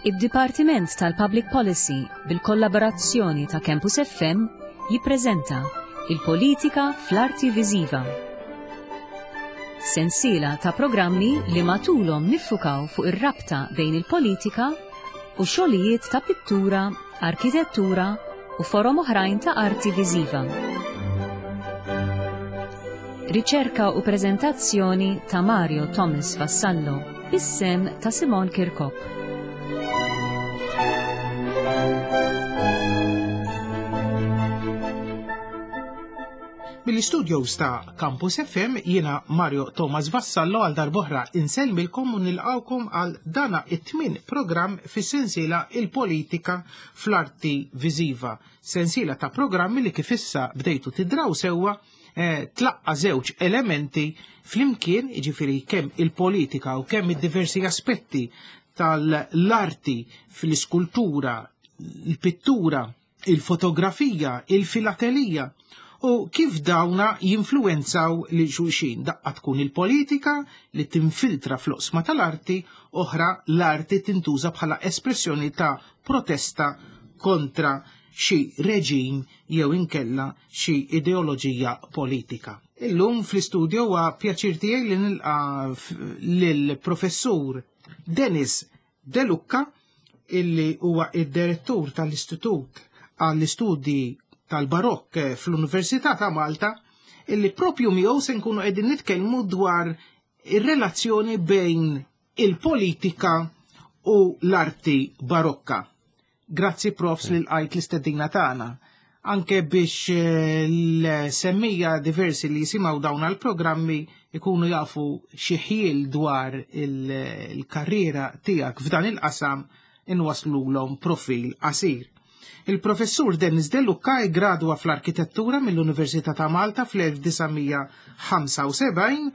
Id-Dipartiment tal-Public Policy bil-kollaborazzjoni ta' Campus FM jippreżenta Il-Politika fl-Arti Viżiva. Sensiela ta' programmi li matulhom niffukaw fuq ir-rabta bejn il-politika u xogħlijiet ta' pittura, arkitettura u forom oħrajn ta' arti viżiva. Riċerka u preżentazzjoni ta' Mario Thomas Vassallo bis-sem ta' Simon Kirkop. Mill-istudios ta' Campus FM jiena Mario Thomas Vassallo għal darbohra insellmilkom u nilqawkom għal dana it-tmien programm fis-sensiela Il-Politika fl-Arti Viżiva. Sensiela ta' programmi li kif issa bdejtu tidraw sewwa eh, tlaqqa żewġ elementi flimkien, jiġifieri kemm il-politika u kemm id-diversi aspetti tal-arti fl-iskultura, il-pittura, il-fotografija, il-filatelija u kif dawna jinfluwenzaw lil xulxin. Daqqa tkun il-politika li tinfiltra fl-oqsma tal-arti, oħra l-arti tintuża bħala espressjoni ta' protesta kontra xi reġim jew inkella xi ideoloġija politika. Illum fl-istudio huwa pjaċir tiegħi li nilqa' lill-Professur Dennis De Lucca illi huwa id-direttur tal-Istitut għall-Istudji tal-Barokk fl-Università ta' Malta illi propju miegħu se nkunu qegħdin nitkellmu dwar ir-relazzjoni bejn il-politika u l-arti barokka. Grazzi profs li lqajt l-istedina tagħna. Anke biex eh, l-semmija diversi li jisimgħu dawn għall-programmi ikunu jafu xi ħjiel dwar il-karriera tiegħek f'dan il-qasam inwaslulhom profil qasir. Il-professur Dennis De Lucca gradwa fl-arkitettura mill-Università ta' Malta fl-1975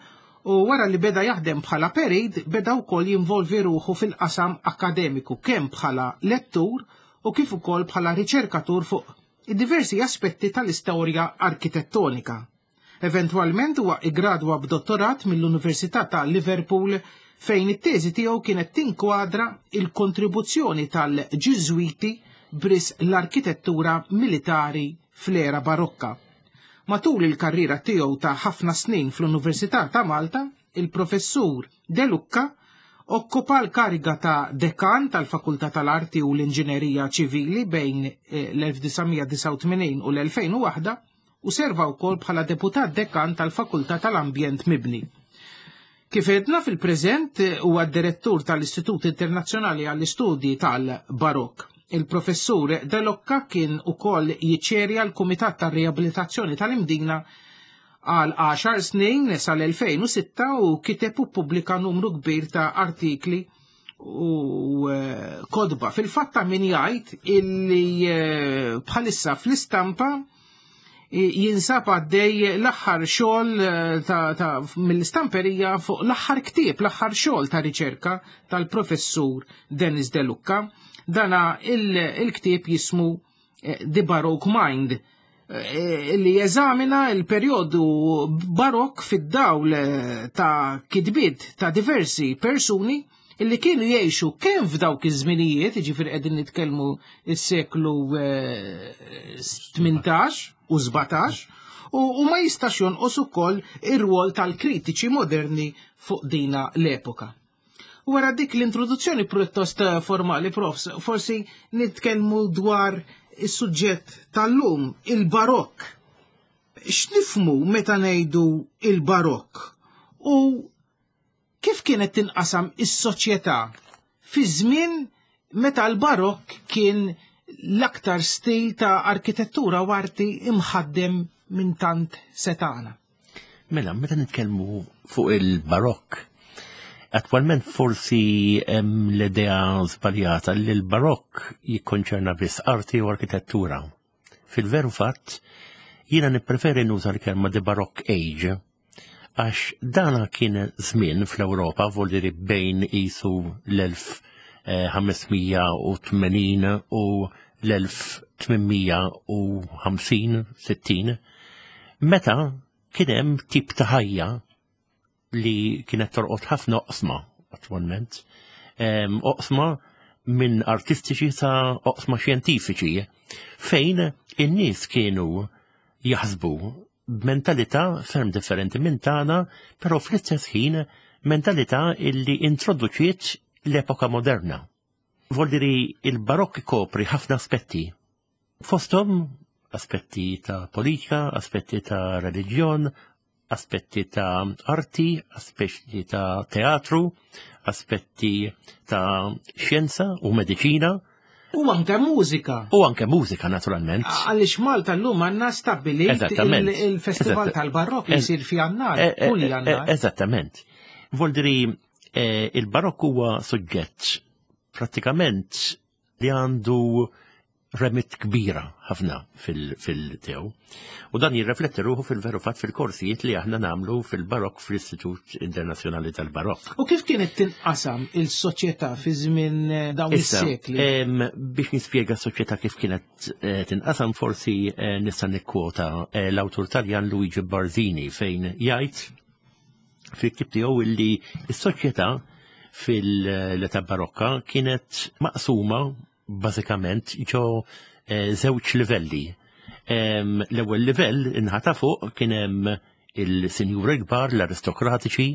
u wara li beda jaħdem bħala perit beda wkoll jinvolvi ruħu fil-qasam akkademiku kemm bħala lettur u kif ukoll bħala riċerkatur fuq id-diversi aspetti tal-istorja arkitettonika. Eventwalment huwa iggradwa b'dottorat mill-Università ta' Liverpool fejn it-teżi tiegħu kienet tinkwadra il-kontribuzzjoni tal-Ġiżwiti b'risq l-arkitettura militari fl-era Barokka. Matul il-karriera tiegħu ta' ħafna snin fl-Università ta' Malta, il-Professur De Lucca okkupa l-kariga ta' dekan tal-Fakultà tal-Arti u l-Inġinerija Ċivili bejn eh, l-1989 u l-2001 u serva wkoll bħala deputat dekan tal-Fakultà tal-Ambjent Mibni. Kif għedna fil-preżent huwa d-direttur tal-Istitut Internazzjonali għall-Istudji tal-Barokk. Il-professur De Locca kien ukoll jiċċerja l-Kumitat tar-Riabilitazzjoni tal-Imdina għal 10 snin sal-2006 u kiteb u ppubblika numru kbir ta' artikli u eh, kodba. Fil-fatt ta' min jgħid illi eh, bħalissa fl-istampa jinsab għaddej l-aħħar xogħol eh, mill-istamperija fuq l-aħħar ktieb, l-aħħar xogħol ta' riċerka tal-professur Dennis De Lucca. Dana il-ktieb jismu eh, The Baroque Mind eh, li jeżamina il-perjodu barok fid-dawl ta' kitbiet ta' diversi persuni illi kienu jgħixu kemm f'dawk iż-żminijiet, jiġifieri qegħdin nitkellmu s-seklu 18 eh, u 17, u ma jistax jonqos ukoll ir-rwol tal-kritiċi moderni fuq dina l-epoka. Wara dik l-introduzzjoni pjuttost eh, formali, profs, forsi nitkellmu dwar is-suġġett tal-lum, il-barokk. X'nifmu meta ngħidu il-barokk? U Kif kienet tinqasam is-soċjetà fi żmien meta l-Barokk kien l-aktar stil ta' arkitettura u arti imħaddem minn tant setgħana? Mela, meta nitkellmu fuq il-Barokk, attwalment forsi hemm l-idea żbaljata li l-Barokk jikkonċerna biss arti u arkitettura. Fil-veru fatt, jiena nippreferi nuża l-kelma the Baroque Age għax dana kien żmien fl-Ewropa voldiri bejn isu l-1580 u l-1850 60 meta kien hemm tip ta' ħajja li kienet torqod ħafna oqsma attwalment. Oqsma minn artistiċi sa oqsma xjentifiċi fejn in-nies kienu jaħsbu b'mentalità ferm differenti minn tagħna, però fl-istess ħin mentalità illi introduċiet l-epoka moderna. Voldiri il-barokk ikopri ħafna aspetti. Fosthom aspetti ta' politika, aspetti ta' reliġjon, aspetti ta' arti, aspetti ta' teatru, aspetti ta' xjenza u mediċina. U anke mużika. U anke mużika, naturalment. Għaliex Malta llum għandna stabbilit il-Festival tal-Barokk li jsir fi Jannar, e, e, kull e, Jannar. Eżattament. Voldiri, il-Barokk huwa suġġett prattikament li għandu remit kbira ħafna fil-tew. U dan jirrefletti ruħu fil-veru fatt fil-korsijiet li aħna namlu fil-Barokk fl-Istitut Internazzjonali tal-Barokk. U kif kienet tinqasam il-soċjetà fi żmien eh, dawn is-sekli? Biex nispjega s-soċjetà kif kienet eh, tinqasam forsi eh, nista' nikkwota l-awtur Taljan Luigi Barzini fejn jgħid fil-ktib tiegħu illi s-soċjetà fil-età barokka kienet maqsuma bażikament ġo eh, żewġ livelli. L-ewwel livell inħata fuq kien hemm il-sinjuri kbar, l-aristokratiċi,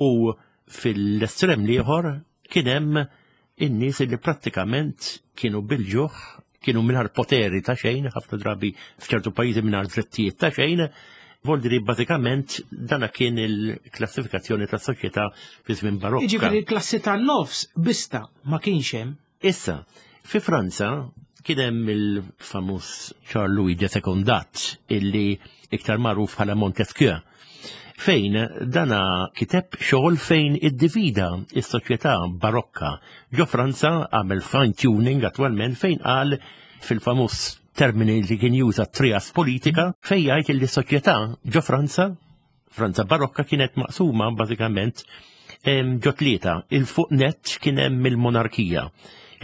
u fil-estrem l-ieħor kien hemm in-nies li prattikament kienu bil-ġuħ, kienu mingħajr poteri ta' xejn, ħafna drabi f'ċertu pajjiżi mingħajr drittijiet ta' xejn, Voldiri bażikament dana kien il-klassifikazzjoni tas soċjetà fi żmien barokka. Jiġifieri l-klassi tan-nofs bista ma kienx hemm. Issa, fi Franza kien hemm il-famuż Charles Louis de Secondat illi iktar magħruf bħala Montesquieu fejn dana kiteb xogħol fejn iddivida is-soċjetà barokka. Ġo Franza għamel fine tuning attwalment fejn qal fil-famuż termini li kien juża trias politika fejn jgħid li soċjetà ġo Franza, Franza barokka kienet maqsuma bażikament ġo tlieta. Il-fuq net kien hemm il-monarkija,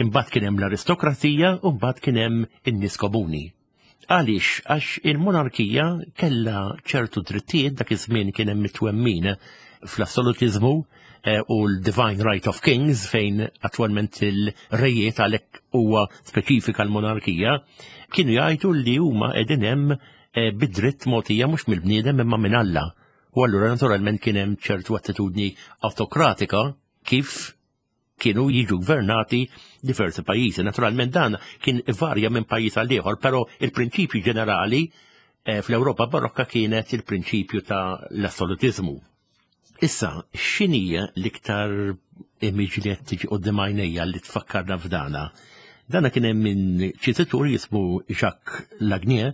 imbagħad kien hemm l-aristokrazija u mbagħad kien hemm in-nies komuni. Għaliex? Għax il-monarkija kellha ċertu drittijiet dak iż-żmien kien hemm it-twemmin fl-assolutiżmu eh, u l-Divine Right of Kings fejn attwalment il-rejiet għalhekk huwa speċifika l-monarkija kienu jgħidu li huma qegħdin hemm eh, bid-dritt mogħtija mhux mill-bniedem imma minn Alla. U allura naturalment kien hemm ċertu attitudni autokratika kif kienu jiġu gvernati diversi pajjiżi. Naturalment dan kien varja minn pajjiż għal ieħor, però il-prinċipju ġenerali eh, fl-Ewropa barokka kienet il-prinċipju ta' l-assolutizmu. Issa, x'inhi l-iktar image li qed tiġi qudiem għajnejja li tfakkarna f'dana? Dana kien hemm minn ċititur jismu Jacques Lagnier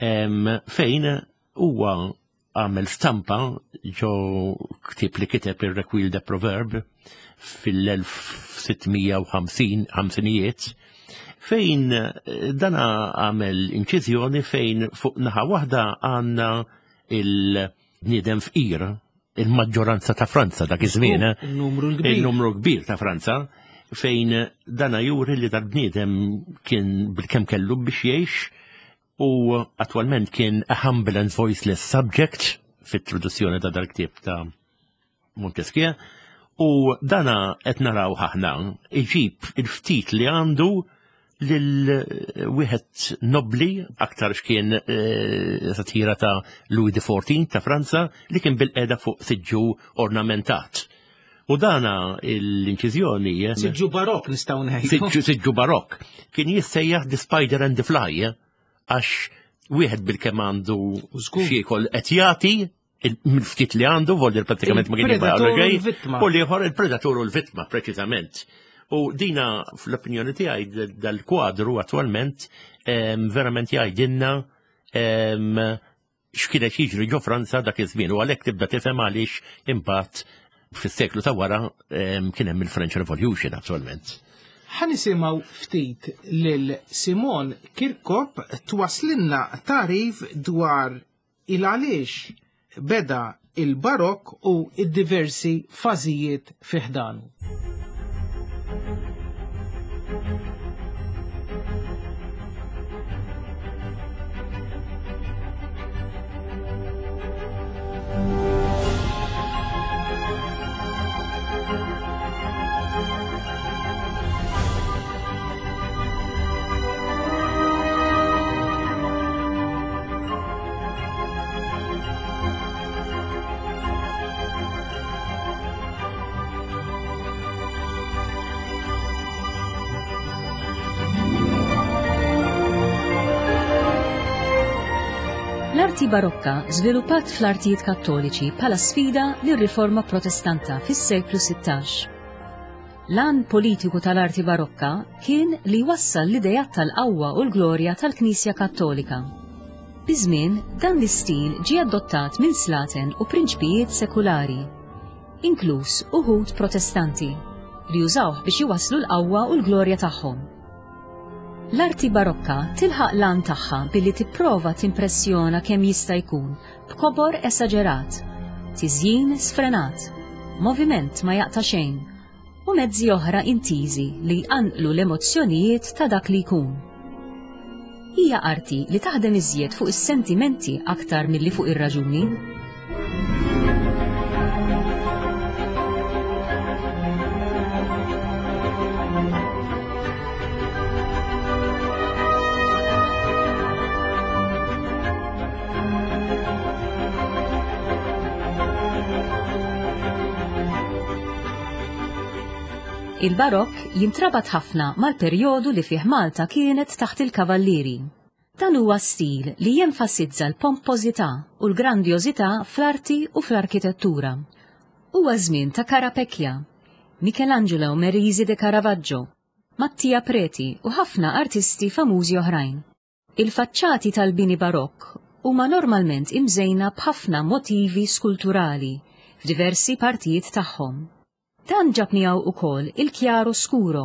fejn huwa għamel stampa ġo ktieb li kiteb ir-Requil de Proverb fil-1650 ħamsinijiet fejn eh, dana għamel inċiżjoni fejn fuq naħa waħda għandna il-bniedem fqir il-maġġoranza ta' Franza dak iż-żmien. Eh? Il-numru kbir. Il-numru kbir ta' Franza fejn dana juri li dal-bniedem kien bil-kemm kellu biex jgħix U attwalment kien a humble and voiceless subject fit-traduzzjoni ta' dal-ktieb ta' Montesquieu. U dana qed naraw aħna iġib il-ftit li għandu lil wieħed nobli aktar x'kien eh, satira ta' Louis XIV ta' Franza li kien bil-qeda fuq siġġu ornamentat. U dana l-inċiżjoni. Eh, siġġu barok nistgħu ngħidu. Siġġu barok. Kien jissejjaħ The Spider and the Fly eh, għax wieħed bil-kemm għandu xiekol qed jagħti mill-ftit li għandu, voldir pratikament ma kien jibqa' U l-ieħor il-predatur u l-vittma preċiżament. U dina fl-opinjoni tiegħi dal-kwadru attwalment verament jgħidilna x'kien qed jiġri ġo Franza dak iż-żmien u għalhekk tibda tifhem għaliex imbagħad fis-seklu ta' wara kien hemm il-French Revolution attualment. Ħa nisimgħu ftit lil Simon Kirkop twaslinna tagħrif dwar il-għaliex beda il-Barokk u d-diversi fażijiet fi ħdanu. L-arti barokka żviluppat fl-artijiet kattoliċi bħala sfida lir-riforma protestanta fis-seklu 16. L-għan politiku tal-arti barokka kien li jwassal l-ideat tal-qawwa u l-glorja tal-Knisja Kattolika. Biż-żmien, dan l-istil ġie adottat minn slaten u prinċpijiet sekulari, inkluż uħud Protestanti, li użawh biex iwasslu l-qawwa u l-glorja tagħhom. L-arti barokka tilħaq l-għan tagħha billi tipprova timpressjona kemm jista' jkun b'kobor esaġerat, tiżjin sfrenat, moviment ma jaqta' xejn, u mezzi oħra intiżi li jqanqlu l-emozzjonijiet ta' dak li jkun. Hija arti li taħdem iżjed fuq is-sentimenti aktar milli fuq ir-raġuni. Il-Barokk jintrabat ħafna mal-perjodu li fih Malta kienet taħt il-Kavallieri. Dan huwa stil li jenfasizza l-pompożità u l-grandjożità fl-arti u fl-arkitettura. Huwa żmien ta' Carapecchia, Michelangelo Merisi de Caravaggio, Mattia Preti u ħafna artisti famużi oħrajn. Il-faċċati tal-bini Barokk huma normalment imżejna b'ħafna motivi skulturali f'diversi partijiet tagħhom. Dan ġab miegħu ukoll il-chiaroscuro,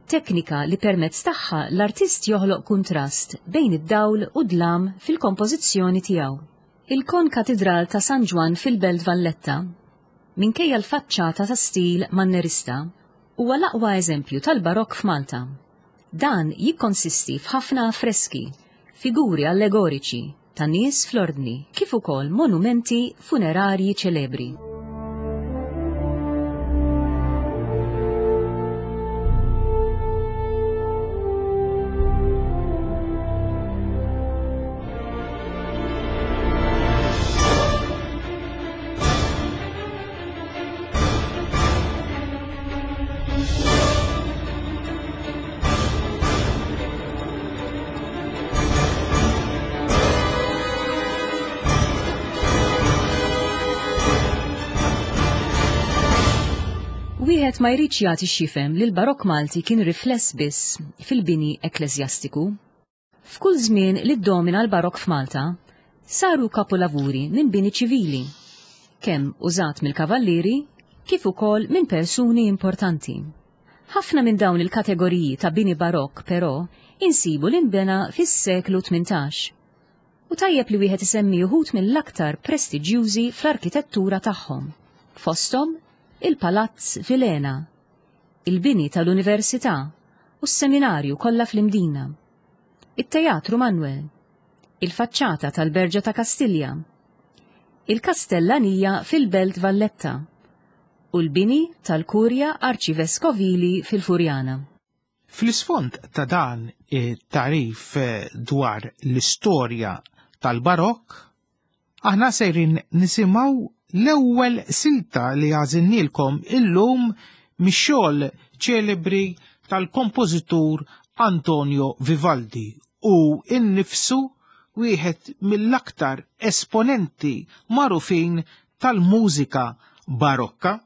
teknika li permezz tagħha l-artist joħloq kuntrast bejn id-dawl u d-dlam fil-kompożizzjoni tiegħu. Il-Kon-Katidral ta' San Ġwann fil-Belt Valletta, minkejja l-faċċata ta' stil Mannerista, huwa l-aqwa eżempju tal-Barokk f'Malta. Dan jikkonsisti f'ħafna affreski, figuri allegoriċi, ta' nies fl-ordni kif ukoll monumenti funerarji ċelebri. Wieħed ma jridx jagħti x'jifhem li l-Barokk Malti kien rifless biss fil-bini ekkleżjastiku. F'kull żmien li ddomina l-Barokk f'Malta, saru kapulavuri minn bini ċivili, kemm użat mill-kavallieri kif ukoll minn persuni importanti. Ħafna minn dawn il-kategoriji ta' bini Barokk, però, insibu li nbena fis-seklu 18. U tajjeb li wieħed isemmi uħud mill-aktar prestiġjużi fl-arkitettura tagħhom, fosthom il-Palazz Vilhena, il-bini tal-Università u s-Seminarju kollha fl-Imdina, it-Teatru Manwel, il-faċċata tal-Berġa ta' Kastilja, il-Kastellanija fil-Belt Valletta u l-bini tal-Kurja Arċiveskovili fil-Furjana. Fl-isfond ta' dan it-tagħrif dwar l-istorja tal-Barokk, aħna sejrin nisimgħu l-ewwel silta li għażilnielkom illum mix-xogħol ċelebri tal-kompożitur Antonio Vivaldi u nnifsu wieħed mill-aktar esponenti magħrufin tal-mużika barokka.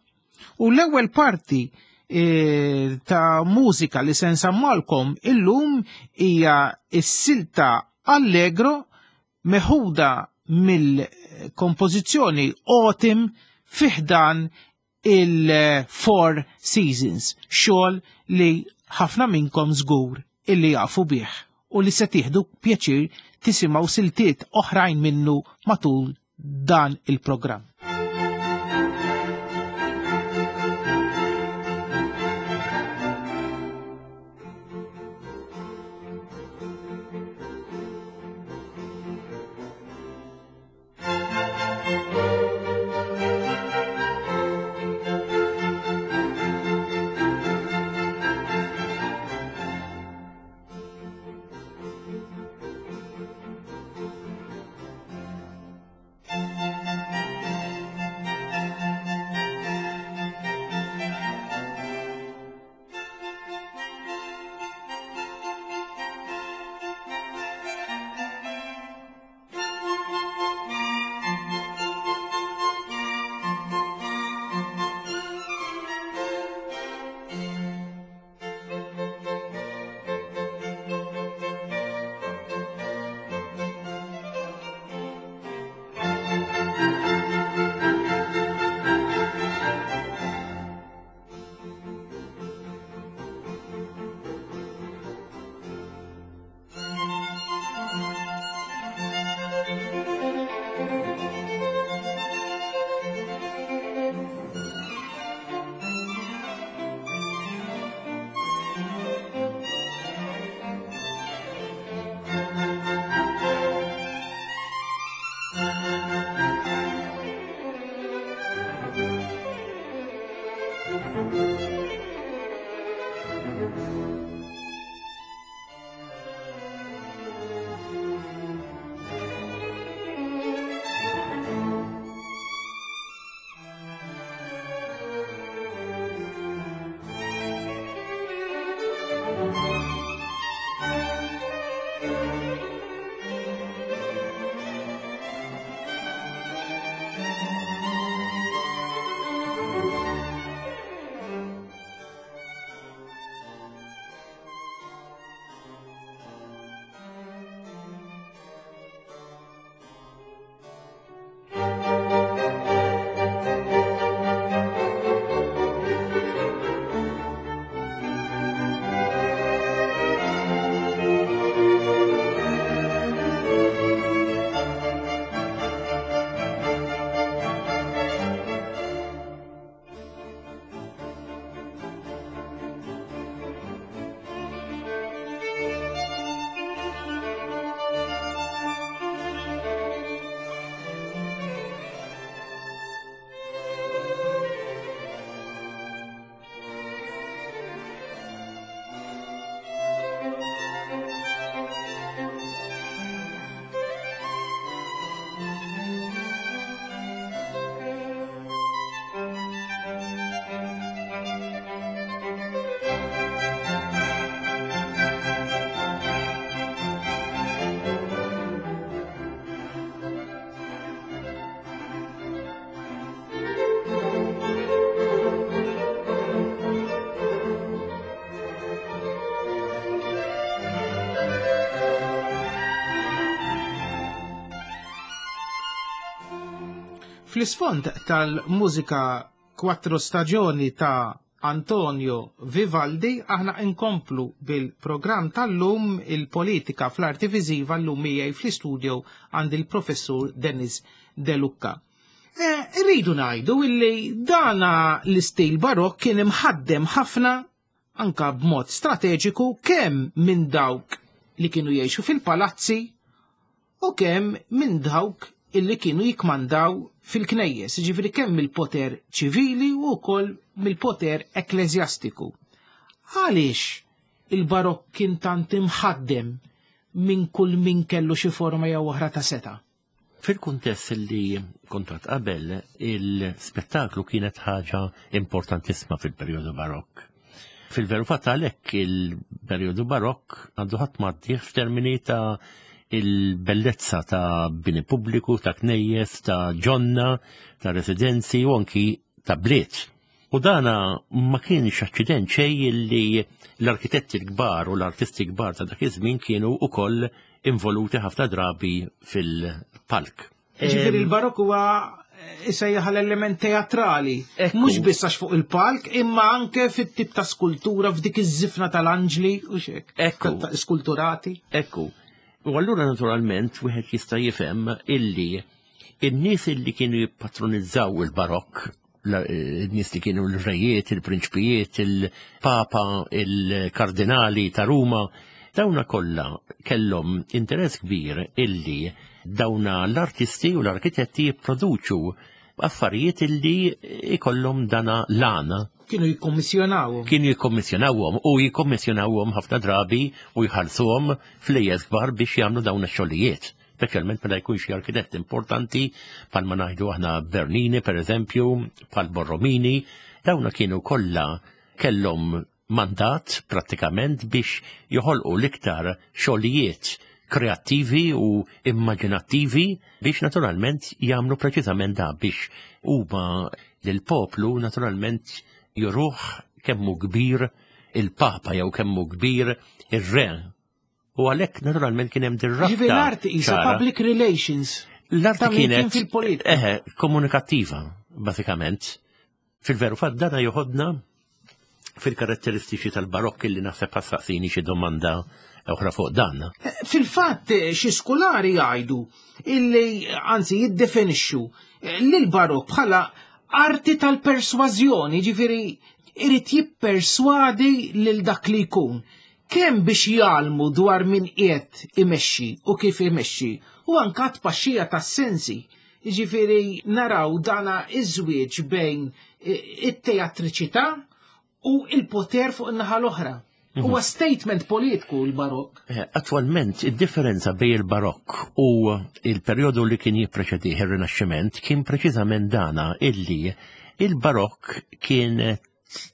U l-ewwel parti e, ta' mużika li se nsammalkom illum hija s-silta Allegro meħuda mill-kompożizzjoni Autumn fiħdan il-Four Seasons, xogħol li ħafna minnkom żgur illi jafu bih u li se tieħdu pjaċir tisimgħu siltiet oħrajn minnu matul dan il-programm. Fl-isfond tal-mużika Quattro Stagioni ta' Antonio Vivaldi aħna inkomplu bil-programm tal-lum il-politika fl-arti viżiva l-lum miegħi fl-istudio għand il-professur Dennis De Lucca. Eh, rridu ngħidu illi dana l-istil barokk kien imħaddem ħafna anka b'mod strateġiku kemm minn dawk li kienu jgħixu fil-palazzi u kemm minn dawk illi kienu jikmandaw fil-knejjes, ġifiri kemm mill-poter ċivili u wkoll mill-poter ekkleżjastiku. Għaliex il-barokk kien tant imħaddem minn kull min kellu xi forma jew oħra ta' seta'? Fil-kuntest li kontat qabel, il-spettaklu kienet ħaġa importantissima fil-perjodu barokk. Fil-veru fatt għalhekk il-perjodu barokk għandu ħadd maddih f'termini ta' il-bellezza ta' bini pubbliku, ta' knejjes, ta' ġonna, ta' residenzi u anki ta' bliet. U dana ma kienx aċċident xejn li l-arkitetti l-kbar u l-artisti kbar ta' dak iż-żmien kienu wkoll involuti ħafna drabi fil-palk. Ġifieri l-barokk huwa isejjaħ l-element teatrali. Mhux biss għax fuq il-palk, imma anke fit-tip ta' skultura f'dik iż-żifna tal-anġli u xek. Ekku. Skulturati. Ekku. U allura naturalment wieħed jista' jifhem illi in-nies illi kienu jippatronizzaw il-barokk n-nies li kienu l-rejiet, il-prinċpijiet, il-papa, il-kardinali ta' Ruma, dawna kollha kellhom interess kbir illi dawna l-artisti u l-arkitetti jipproduċu affarijiet illi ikollhom dana l-għana. Kienu jikkommissjonawhom. Kienu jikkommissjonawhom u jikkommissjonawhom ħafna drabi u jħallsuhom flejjes kbar biex jagħmlu dawn ix-xogħlijiet speċjalment meta jkun xi arkitett importanti bħalma ngħidu aħna Bernini pereżempju, bħal Borromini, dawna kienu kollha kellhom mandat prattikament biex joħolqu l-iktar xogħlijiet kreattivi u immaġinattivi biex naturalment jagħmlu preċiżament da biex huma lill-poplu naturalment juruh kemmu kbir il-Papa jew kemmu kbir ir-re U għalhekk naturalment kien hemm dir-rabta. Ġifieri l-arti isa public relations. L-arti kienet fil-politika. Eħe, komunikattiva, basikament. Fil-veru fatt dana joħodna fil-karatteristiċi tal-barokk li naħseb ħassaqsini xi domanda oħra fuq dan. Eh, fil-fatt eh, xi skulari jgħidu illi anzi jiddefinixxu eh, li l-barokk bħala arti tal-persważjoni, ġifieri irid jipperswadi lil dak li jkun. Kemm biex jgħallmu dwar min qiegħed imexxi u kif imexxi, u anke għat-tpaxxija tas-sensi. Jiġifieri naraw dana iż-żwieġ bejn it-teatriċità u il-poter fuq in-naħa l-oħra. Mhm. Huwa statement politiku l-barokk. Eh, attwalment, id-differenza bej il-barokk u il-perjodu li kien jippreċedih ir-Rinaxximent kien preċiżament dana illi il-barokk kien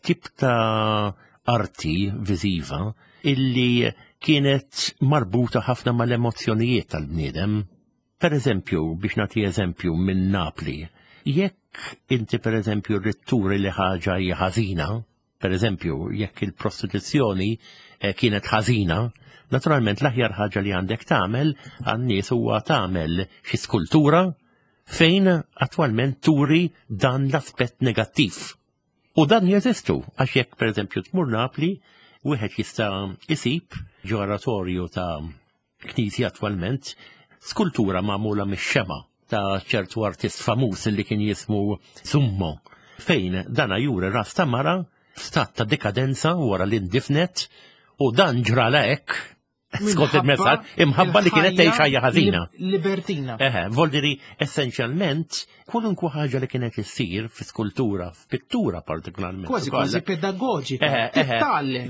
tip ta' arti viżiva illi kienet marbuta ħafna mal-emozzjonijiet tal-bniedem. Per eżempju, biex nagħti eżempju minn Napli, jekk inti per eżempju rrid turi li ħaġa hija ħażina, per eżempju, jekk il-prostituzzjoni eh, kienet ħażina, naturalment l-aħjar ħaġa li għandek tagħmel għan-nies huwa tagħmel xi skultura fejn attwalment turi dan l-aspett negattiv. U dan jeżistu, għax jekk per eżempju tmur Napli, wieħed jista' isib ġo oratorju ta' knisja attwalment skultura magħmula mix-xema ta' ċertu artist famuż li kien jismu Summo, fejn dana juri ras ta' mara f'stat ta' dekadenza wara li ndifnet u dan ġrala hekk skont il-messaġġ imħabba li kienet tgħix ħajja ħażina. Libertina. Eħe, voldiri essenzjalment kwalunkwe ħaġa li kienet issir fi skultura, f'pittura partikolarment. Kważi kważi pedagoġika.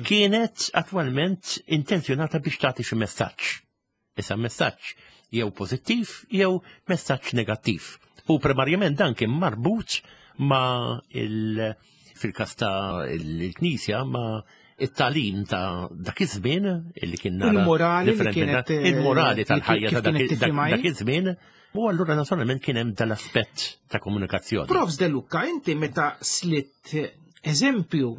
Kienet attwalment intenzjonata biex tagħti xi messaġġ. Issa messaġġ jew pożittiv jew messaġġ negattiv. U primarjament dan kien marbut ma' il- fil-kas ta' il-Knisja ma' it-talim ta' dak iż-żmien illi kien nara il-morali li kienet eh, il-morali tal-ħajja ta' dak iż-żmien u allura naturalment kien hemm dal-aspett ta' komunikazzjoni. Profs De Luca, inti meta slitt eżempju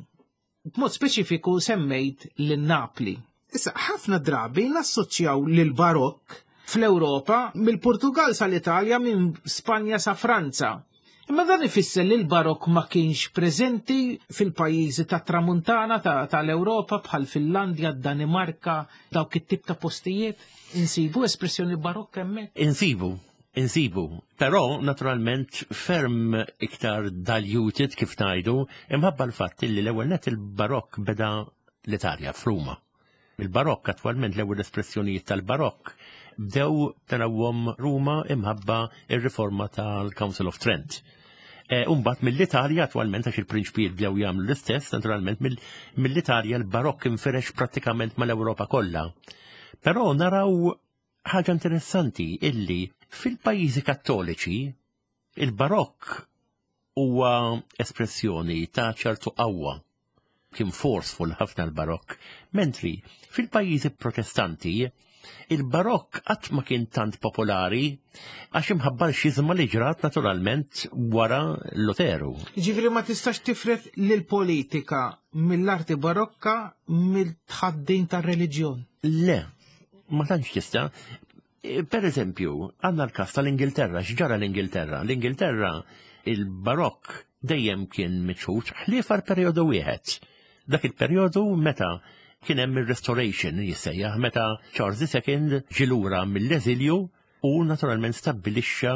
b'mod speċifiku semmejt lil Napli. Issa ħafna drabi nassoċjaw lil barokk fl-Ewropa mill-Portugal sal-Italja minn Spanja sa Franza. Imma dan ifisser li l-barokk ma kienx preżenti fil-pajjiżi tat-tramuntana tal-Ewropa bħal Finlandja, Danimarka, dawk it-tip ta' postijiet? Insibu espressjoni barokk hemmhekk? Insibu, insibu. Però naturalment ferm iktar diluted kif ngħidu imħabba l-fatt li l-ewwel net il-barokk beda l-Italja f'Ruma. Il-Barokk attwalment l-ewwel espressjonijiet tal-Barokk bdew tarawhom Ruma imħabba ir-riforma tal-Council of Trent. E, Umbat mill-Italja attwalment għax il-prinċpijiet bdew jagħmlu l-istess, naturalment mill-Italja l-Barokk infirex prattikament mal-Ewropa kollha. Però naraw ħaġa interessanti illi fil-pajjiżi kattoliċi il-Barokk huwa espressjoni ta' ċertu qawwa kien forceful ħafna l-barokk, mentri fil-pajjiżi protestanti il-barokk qatt ma kien tant popolari għax imħabba l-xiżma li ġrat naturalment wara Luteru. Ġifieri ma tistax tifret lill-politika mill-arti barokka mill-tħaddin tar-reliġjon. Le, ma tantx tista'. Per eżempju, għandna l-każ tal-Ingilterra, x'ġara l-Ingilterra? L-Ingilterra il-barokk dejjem kien miċħud ħlief għal perjodu wieħed. Dak il-perjodu meta kien hemm ir-Restoration jissejjaħ meta Charles II ġie lura mill-eżilju u naturalment stabbilixxa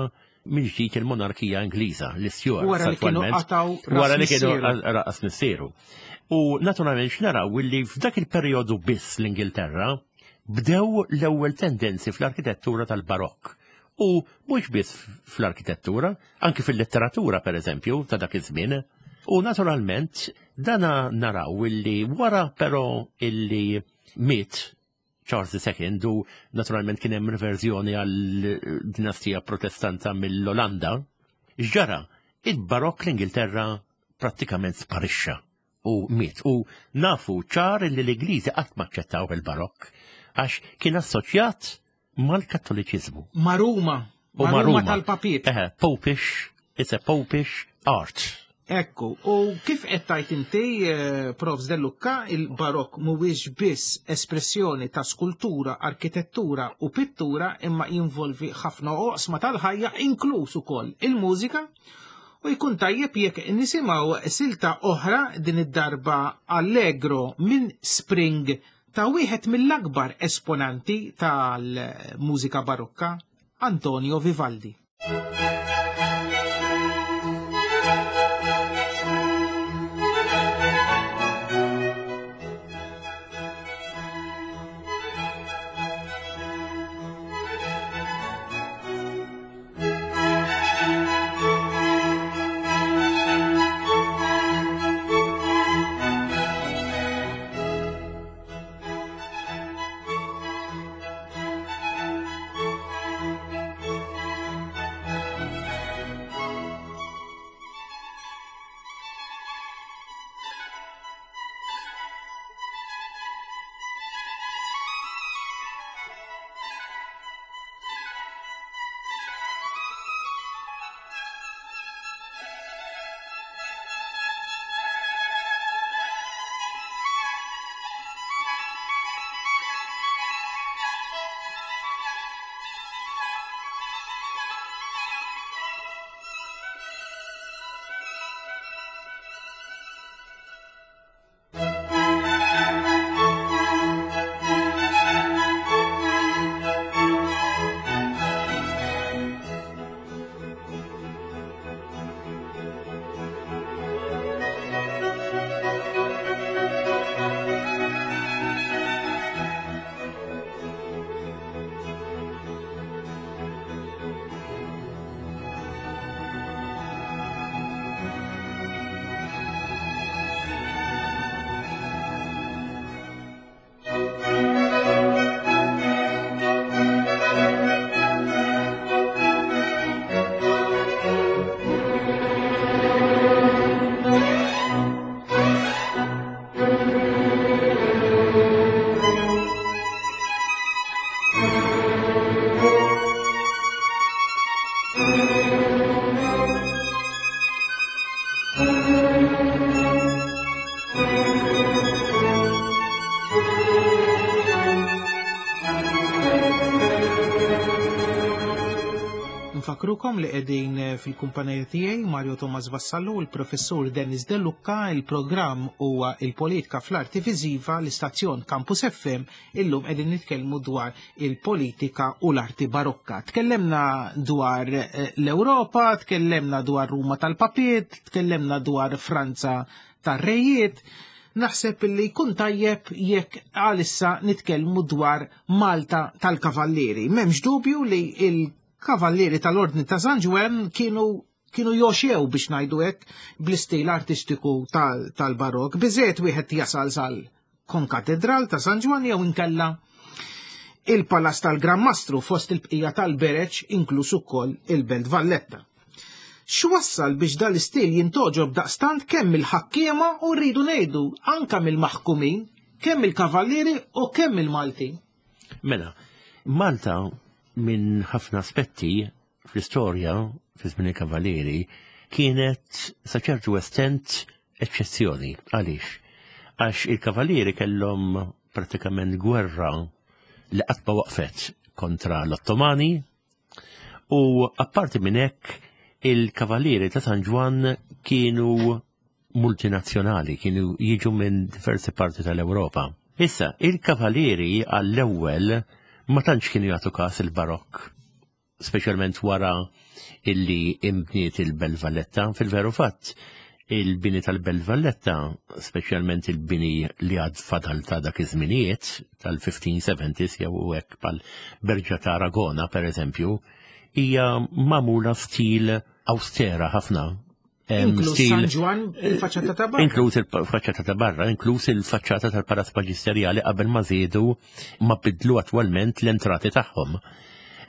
mill-ġdid il-monarkija Ingliża, l-Stuarts. Wara li kienu qataw wara li kienu raqas missieru. U naturalment x'naraw li f'dak il-perjodu biss l-Ingilterra bdew l-ewwel tendenzi fl-arkitettura tal-Barokk. U mhux biss fl-arkitettura, anki fil-letteratura per eżempju ta' dak iż-żmien. U naturalment dana naraw illi wara però illi miet Charles II u naturalment kien hemm riverżjoni għal dinastija protestanta mill-Olanda, x'ġara? Il-Barokk l-Ingilterra prattikament sparixxa u miet. U nafu ċar li l-Ingliżi qatt ma aċċettaw il-Barokk għax kien assoċjat mal-Kattoliċiżmu. Ma' Ruma. U ma' Ruma tal-papiet. Eħe, popish, it's a popish art. Ekku, u kif qed tajt inti, eh, Prof. Dellucca, il-barokk mhuwiex biss espressjoni ta' skultura, arkitettura u pittura imma jinvolvi ħafna oqsma tal-ħajja inkluż ukoll il-mużika u jkun tajjeb jekk nisimgħu silta oħra din id-darba Allegro minn Spring ta' wieħed mill-akbar esponanti tal-mużika barokka, Antonio Vivaldi. Infakkrukom li qegħdin eh, fil-kumpanija tiegħi Mario Thomas Vassallo u l-Professur Dennis De Lucca, il-programm huwa il-politika fl-arti viżiva l-istazzjon Campus FM, illum qegħdin nitkellmu dwar il-politika u l-arti barokka. Tkellemna dwar eh, l-Ewropa, tkellemna dwar Ruma tal-Papiet, tkellemna dwar Franza tar-rejiet. Naħseb li jkun tajjeb jekk għalissa nitkellmu dwar Malta tal-Kavallieri. M'hemmx dubju li il-Kavallieri tal-Ordni ta' San Ġwann kienu kienu joxew biex ngħidu hekk bl-istil artistiku tal-barok. Biżejjed wieħed jasal sal konkatedral ta' San Ġwann jew inkella il-Palazz tal-Gran Mastru fost il-bqija tal-bereġ inkluż ukoll il-Belt Valletta. X'wassal biex dal-istil jintgħoġob daqstant kemm mill-ħakkiema u rridu ngħidu anka mill-maħkumin, kemm il-kavallieri u kemm il-Maltin? Mela, Malta minn ħafna aspetti fl-istorja fi żmien il-kavallieri kienet sa ċertu estent eċċezzjoni. Għaliex? Għax il-kavallieri kellhom pratikament gwerra li qatt ma waqfet kontra l-Ottomani u apparti minn hekk il-kavallieri ta' San Ġwann kienu multinazzjonali, kienu jiġu minn diversi parti tal-Ewropa. Issa, il-kavallieri għall-ewwel ma tantx kienu jagħtu każ il-barokk, speċjalment wara illi imbniet il-Belt Valletta. Fil-veru fatt, il-bini tal-Belt Valletta, speċjalment il-bini li għad fadal ta' dak iż-żminijiet tal-1570s jew hekk pal Berġa ta' Aragona pereżempju, hija magħmula stil austera ħafna. Inkluż San Ġwann il-faċċata ta' barra. Inkluż il-faċċata ta' barra, inkluż il-faċċata tal-Palazz Maġisterjali qabel ma żiedu ma bidlu attwalment l-entrati tagħhom.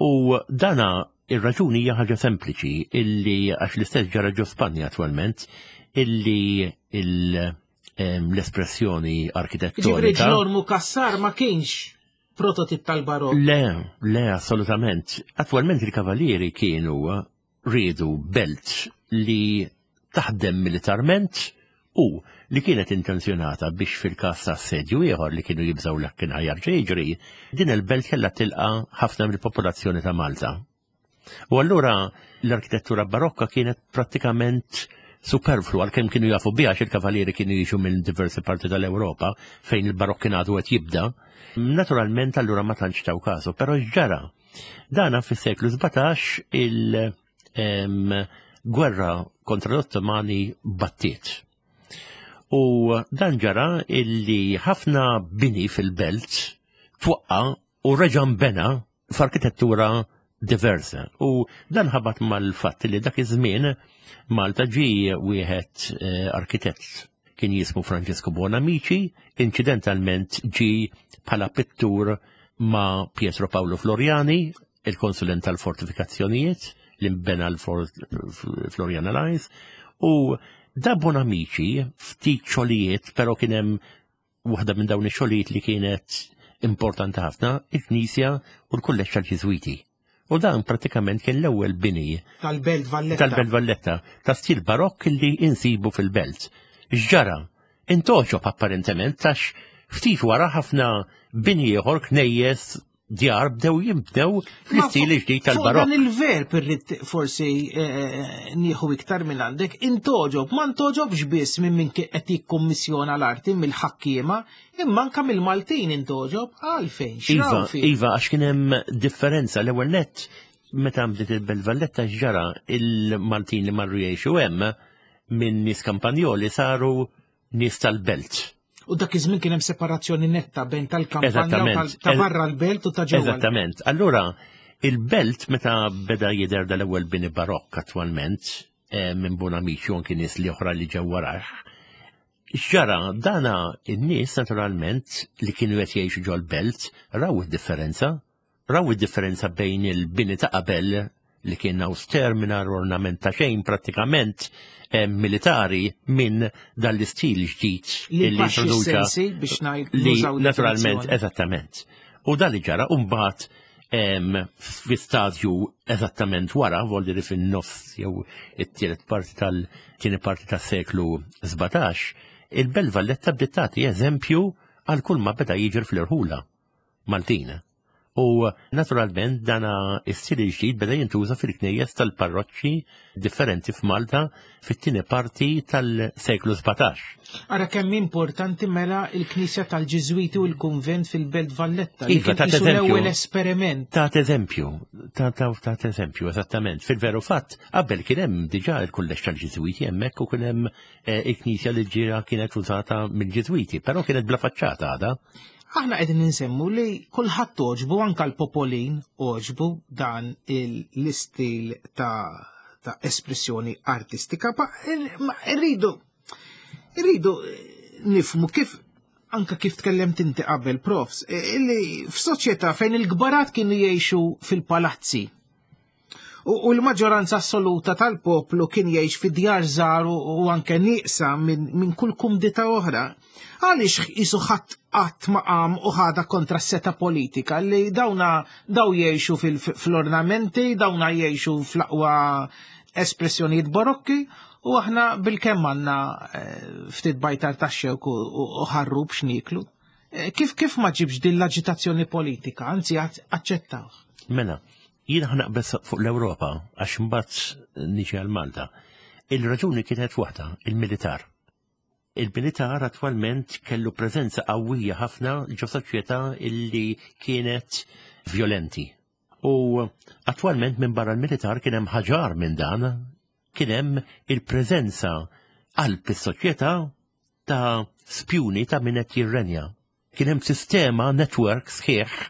U dana ir-raġuni hija ħaġa sempliċi illi għax l-istess ġara ġo Spanja attwalment illi l-espressjoni arkitettonika. Ġifri ġlormu Cassar ma kienx prototip tal-barokk. Le, le, assolutament. Attwalment il-kavalieri kienu riedu belt li taħdem militarment u li kienet intenzjonata biex fil-każ ta' assedju ieħor li kienu jibżgħu li kien ħajarġa' jiġri, din il-belt kellha tilqa' ħafna mill-popolazzjoni ta' Malta. U allura l-arkitettura barokka kienet prattikament superflu għalkemm kienu jafu biha il-kavalieri kienu jiġu minn diversi parti tal-Ewropa fejn il-barokk kien għadu qed jibda. Naturalment allura ma tantx taw kasu, però x'ġara? Dana fis-seklu 17 il-gwerra kontra l-Ottomani battiet. U dan ġara illi ħafna bini fil-belt twaqqa u reġa' nbena f'arkitettura diversa. U dan ħabat mal-fatt li dak iż-żmien Malta ġie wieħed eh, arkitett kien jismu Francesco Buonamici, inċidentalment ġi bħala pittur ma' Pietro Paolo Floriani, il-konsulent tal-fortifikazzjonijiet li nbena l-Floriana Lines, u da Bonamici ftit xogħlijiet, però kien hemm waħda minn dawn ix-xogħlijiet li kienet importanti ħafna, il-Knisja u l-Kulleġġ tal-Ġiżwiti. U dan pratikament kien l-ewwel bini tal-Belt Valletta. Tal-Belt Valletta, ta' stil barokk li insibu fil-belt. X'ġara? Intoġob apparentement għax ftit wara ħafna bini ieħor knejjes djar bdew jinbdew fl-istil ġdid tal-barokk. Dan il-verb irrid forsi eh, eh, nieħu iktar minn għandek, intoġob, ma ntoġobx biss minn min qed jikkummissjona l-arti mill-ħakkiema, imma anka mill-Maltin intoġob għalfejn. Iva, iva, għax kien hemm differenza l-ewwel nett meta bdiet il-Belt Valletta ġara il-Maltin li marru jgħixu hemm minn nies kampanjoli saru nies tal-belt. U dak iż-żmien kien hemm separazzjoni netta bejn tal-kampanja ta' barra l-belt u ta' ġewwa. Eżattament. Allura, il-belt meta beda jidher dal-ewwel bini barokk attwalment eh, minn Bonamici u anki nies li oħra li ġew warajh, X'ġara, dana in-nies naturalment li kienu qed jgħixu ġol-belt raw id-differenza. Raw id-differenza bejn il-bini ta' qabel li kien auster mingħajr ornament ta' xejn prattikament eh, militari minn dan l-istil ġdid li introduċa biex ngħid li naturalment eżattament. U dan li ġara u mbagħad fi stadju eżattament wara, voldiri fin-nofs jew it-tielet parti tal-tieni parti tas-seklu 17, il-Belt Valletta bdiet tagħti eżempju għal kull ma beda jiġri fl-irħula Maltin. U naturalment dana is-stil il-ġdid beda jintuża fil-knejjes tal-parroċċi differenti f'Malta fit-tieni parti tal-seklu 17. Ara kemm importanti mela il-Knisja tal-Ġiżwiti u l-Kunvent fil-Belt Valletta. Li iva, kien l-ewwel esperiment. Ta' eżempju, ta' ta' eżempju, eżattament. Fil-veru fatt, qabel kien hemm diġà il-kulleġġ tal-Ġiżwiti hemmhekk u kien hemm eh, il-knisja li ġira kienet użata mill-Ġiżwiti, però kienet bla faċċata għadha. Aħna qegħdin insemmu li kulħadd għoġbu anke l-popolin għoġbu dan l-istil ta' ta' espressjoni artistika, ma rridu rridu nifmu kif anka kif tkellemt inti qabel profs, illi f'soċjetà fejn il-kbarat kienu jgħixu fil-palazzi U l-maġġoranza assoluta tal-poplu kien jgħix fi djar żgħar u anke nieqsa minn kull kumdità oħra. Għaliex qisu ħadd qatt ma qam u ħadha kontra s-seta politika li dawna daw jgħixu fl-ornamenti, dawna jgħixu fl-aqwa espressjonijiet barokki u aħna bil-kemm għandna eh, ftit bajtar ta' xewk u ħarrub x'niklu. Eh, kif kif ma ġibx din l-aġitazzjoni politika, anzi aċċettaw. Mela, Jien ħa naqbeż fuq l-Ewropa għax imbagħad niġi għal Malta. Il-raġuni kienet waħda, il-militar. Il-militar attwalment kellu preżenza qawwija ħafna ġo soċjetà illi kienet violenti. U attwalment minn barra l-militar kien hemm ħaġar minn dan, kien hemm il-preżenza qalb is-soċjetà ta' spjuni ta' min qed jirrenja. Kien hemm sistema network sħiħ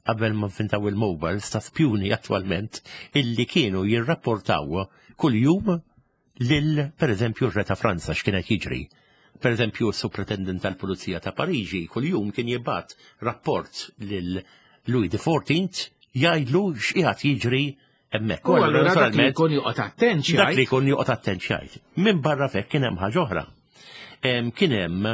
qabel ma nfintaw il-mobiles ta' spjuni attwalment illi kienu jirrapportaw kuljum lil pereżempju r-Re ta' Franza x'kien qed jiġri. Pereżempju s-Supretendent tal-Pulizija ta' Pariġi kuljum kien jibgħat rapport lil Louis XIV jgħidlu x'qiegħed jiġri hemmhekk. U allura dak li jkun joqgħod attent xi Dak li jkun joqgħod attent xi Minn barra fek kien hemm ħaġa oħra. Kien hemm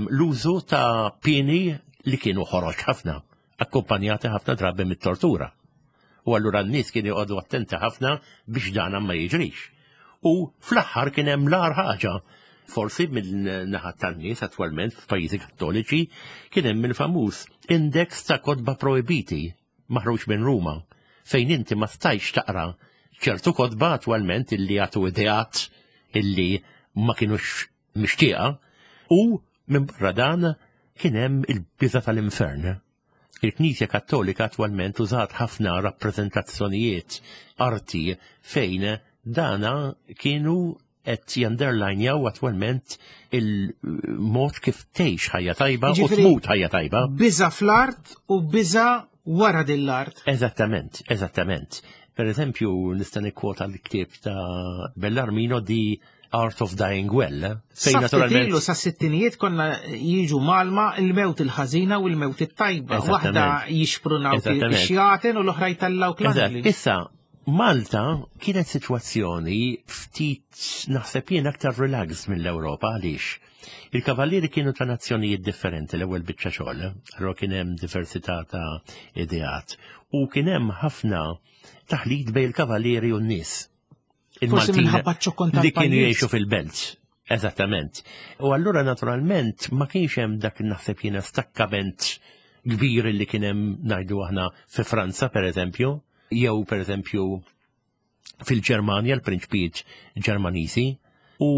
l-użu ta' pieni li kienu ħoroġ ħafna, akkumpanjati ħafna drabi mit-tortura. U allura n-nies kienu joqogħdu attenti ħafna biex dan ma jiġrix. U fl-aħħar kien hemm l-agħar ħaġa. Forsi mill-naħa tan-nies attwalment f'pajjiżi kattoliċi kien hemm il-famuż index ta' kotba projbiti maħruġ minn Ruma fejn inti ma stajx taqra ċertu kotba attwalment illi jagħtu ideat illi ma kinux mixtieqa u minn barra dan kien hemm il-biża tal-infern. Il-Knisja Kattolika attwalment użat ħafna rappreżentazzjonijiet arti fejn dana kienu qed janderlajnjaw attwalment il-mod kif tgħix ħajja tajba u tmut ħajja tajba. Biża fl-art u biża wara din l-art. Eżattament, eżattament. Per eżempju, nista' nikkwota l-ktieb ta' Bellarmino di Art of Dying Well. Eh? Fejn naturalment. Ilu sa sittinijiet konna jiġu malma il-mewt il-ħażina u l-mewt it-tajba. Waħda jixprunaw ix-xjaten u l-oħra jtellaw l Issa, Malta kienet sitwazzjoni ftit naħseb jien aktar relax mill-Ewropa għaliex. Il-kavallieri kienu ta' nazzjonijiet differenti l-ewwel biċċa xogħol, allura kien hemm diversità ta' ideat u kien hemm ħafna taħlit bejn il-kavallieri u n-nies. Forsi minħabba ċ-ċokkon Li kienu jgħixu fil-belt. Eżattament. U allura naturalment ma kienx hemm dak naħseb jiena stakkament kbir li kien hemm ngħidu aħna fi Franza pereżempju, jew pereżempju fil-Ġermanja l-prinċpijiet Ġermaniżi u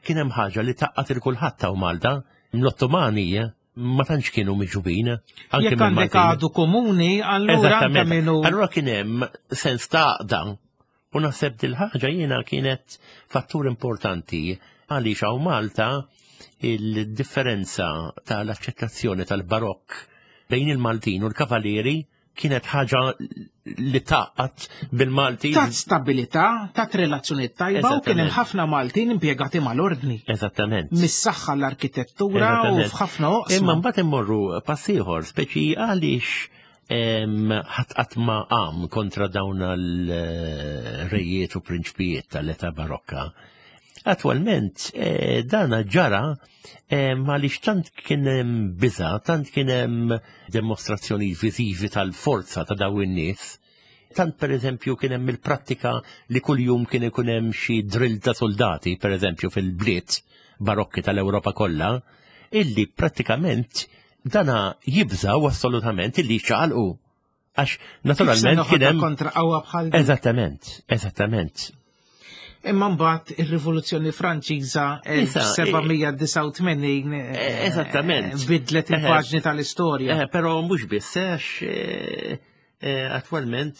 kien hemm ħaġa li taqqat il kulħadd ta' Malta l-Ottomani ma tantx kienu miġubin. Jekk għandek għadu komuni, allura minnu. Allura kien hemm sens ta' għaqda U naħseb dil-ħaġa jiena kienet fattur importanti għaliex hawn Malta il-differenza tal-aċċettazzjoni tal-barokk bejn il-Maltin u l-Kavalieri kienet ħaġa li taqqat bil-Malti. Tat stabilità, tat relazzjoni tajba u kien hemm ħafna Maltin impjegati mal-ordni. Eżattament. Mis-saħħa l-arkitettura u f'ħafna oqsma. Imma mbagħad immorru pass ieħor, speċi għaliex ħadd qatt ma qam kontra dawn l-rejiet u prinċpijiet tal-età barokka. Attualment eh, dana ġara għaliex tant kien hemm biża, tant kien hemm demostrazzjoni viżivi tal-forza ta' dawn in-nies, tant per eżempju kien hemm il-prattika li kuljum kien ikun hemm xi drill ta' soldati, per eżempju fil-bliet barokki tal-Ewropa kollha, illi prattikament Dana jibżaw assolutament illi jċaqalqu. Għax naturalment kien hemm kontra qawwa bħal Eżattament, eżattament. Imma mbagħad ir-Rivoluzzjoni Franċiża 1789 eh, eh, eżattament bidlet il-paġni tal-istorja. Eh, però mhux biss għax attwalment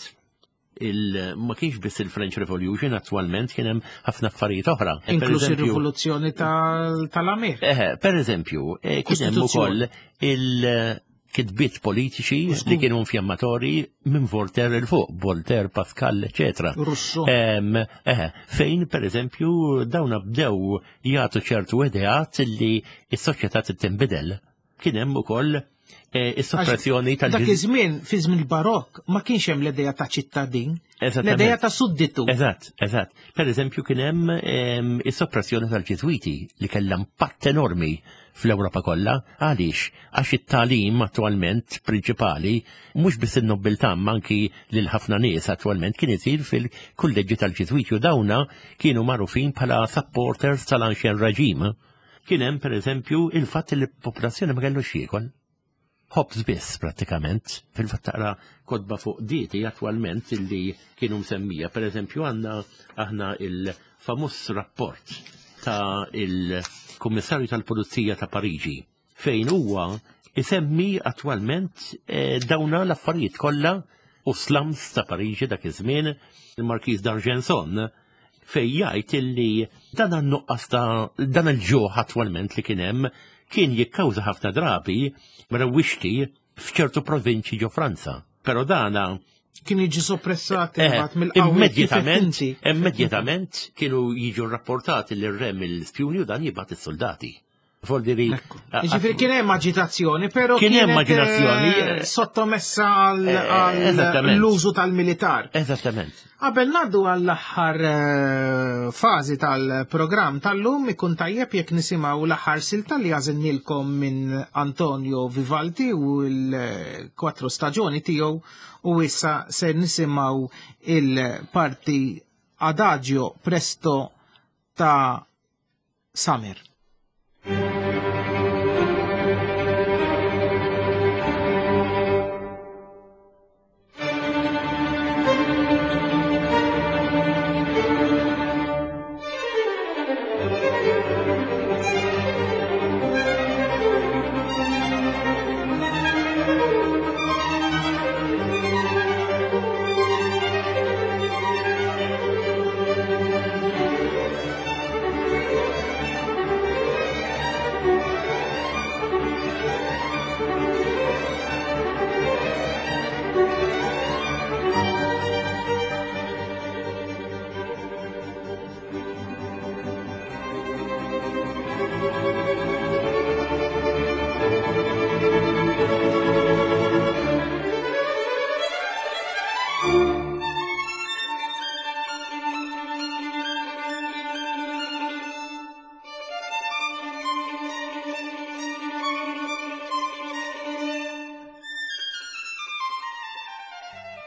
il ma kienx biss il-French Revolution attwalment kien hemm ħafna affarijiet oħra. Inkluż ir-rivoluzzjoni tal-Amir. Per eżempju, kien hemm ukoll il-kitbiet politiċi li kienu infjammatori minn Voltaire il fuq, Voltaire, Pascal, eccetera. Russo. Fejn, per eżempju, dawn bdew jagħtu ċertu ideat li s-soċjetà tinbidel. Kien hemm ukoll eh, is-soppressjoni tal Dak iż-żmien, fi żmien barokk, ma kienx hemm l-idea ta' ċittadin, l-idea ta' sudditu. Eżatt, eżatt. Per eżempju kien hemm ehm, is-soppressjoni tal-Ġiżwiti li kellha impatt enormi fl-Ewropa kollha. Għaliex? Għax it-tagħlim attwalment prinċipali mhux biss in-nobbiltà imma anki lil ħafna nies attwalment kien isir fil-kulleġġi tal-Ġiżwiti u dawna kienu magħrufin bħala supporters tal-Ancien Regime. Kien hemm pereżempju il-fatt li l-popolazzjoni ma kellux jiekol. Ħobż biss prattikament. Fil-fatt taqra kotba fuq dieti attwalment illi kienu msemmija. Pereżempju għandna aħna il-famuż rapport ta' il-Kummissarju tal-Pulizija ta' Pariġi fejn huwa isemmi attwalment eh, dawna l-affarijiet kollha u slums ta' Pariġi dak iż-żmien, il-Markiż d'Argenson fej jgħid illi dan għan-nuqqas ta' dan il-ġuħ attwalment li kien hemm kien jikkawża ħafna drabi rewwixti f'ċertu provinċi ġo Franza. Però dana kien jiġi soppressat eh, imbagħad mill-qawwiet immedjatament immedjatament kienu jiġu rrapportati lir re mill-spjuni u dan jibgħat is-soldati. Voldiri. Ġifieri kien hemm aġitazzjoni, però kien hemm aġitazzjoni eh, sottomessa għall-użu tal-militar. Eżattament. Qabel ngħaddu għall-aħħar eh, fażi tal-programm tal-lum ikun tajjeb jekk nisimgħu l-aħħar silta li għażilnilkom minn Antonio Vivaldi u l-kwatru staġoni tiegħu u issa se nisimgħu il-parti Adagio Presto ta' Summer.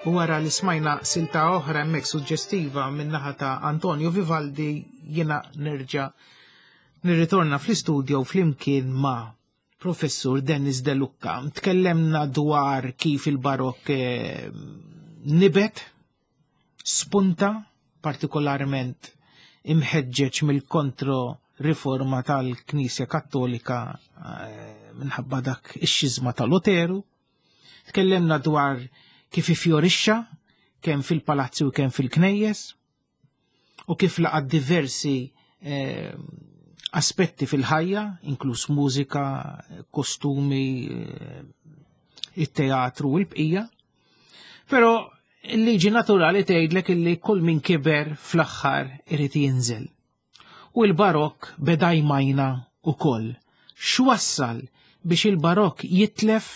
U wara li smajna silta oħra hemmhekk suġġestiva min-naħa ta' Antonio Vivaldi jiena nerġa' nirritorna fl-istudio flimkien ma' Professur Dennis De Lucca. Tkellemna dwar kif il-barokk eh, nibet, spunta, partikolarment imħeġġeġ mill-kontro riforma tal-Knisja Kattolika eh, minħabba dak ix-xiżma ta' Luteru. Tkellemna dwar kif ifjorixxa kemm fil-palazzi u kemm fil-knejjes u kif laqat diversi eh, aspetti fil-ħajja, inkluż mużika, kostumi, eh, it-teatru u l-bqija. Però il-liġi naturali tgħidlek illi kull min kiber fl-aħħar irid jinżel. U l-barokk beda jmajna ukoll. X'wassal biex il-barokk jitlef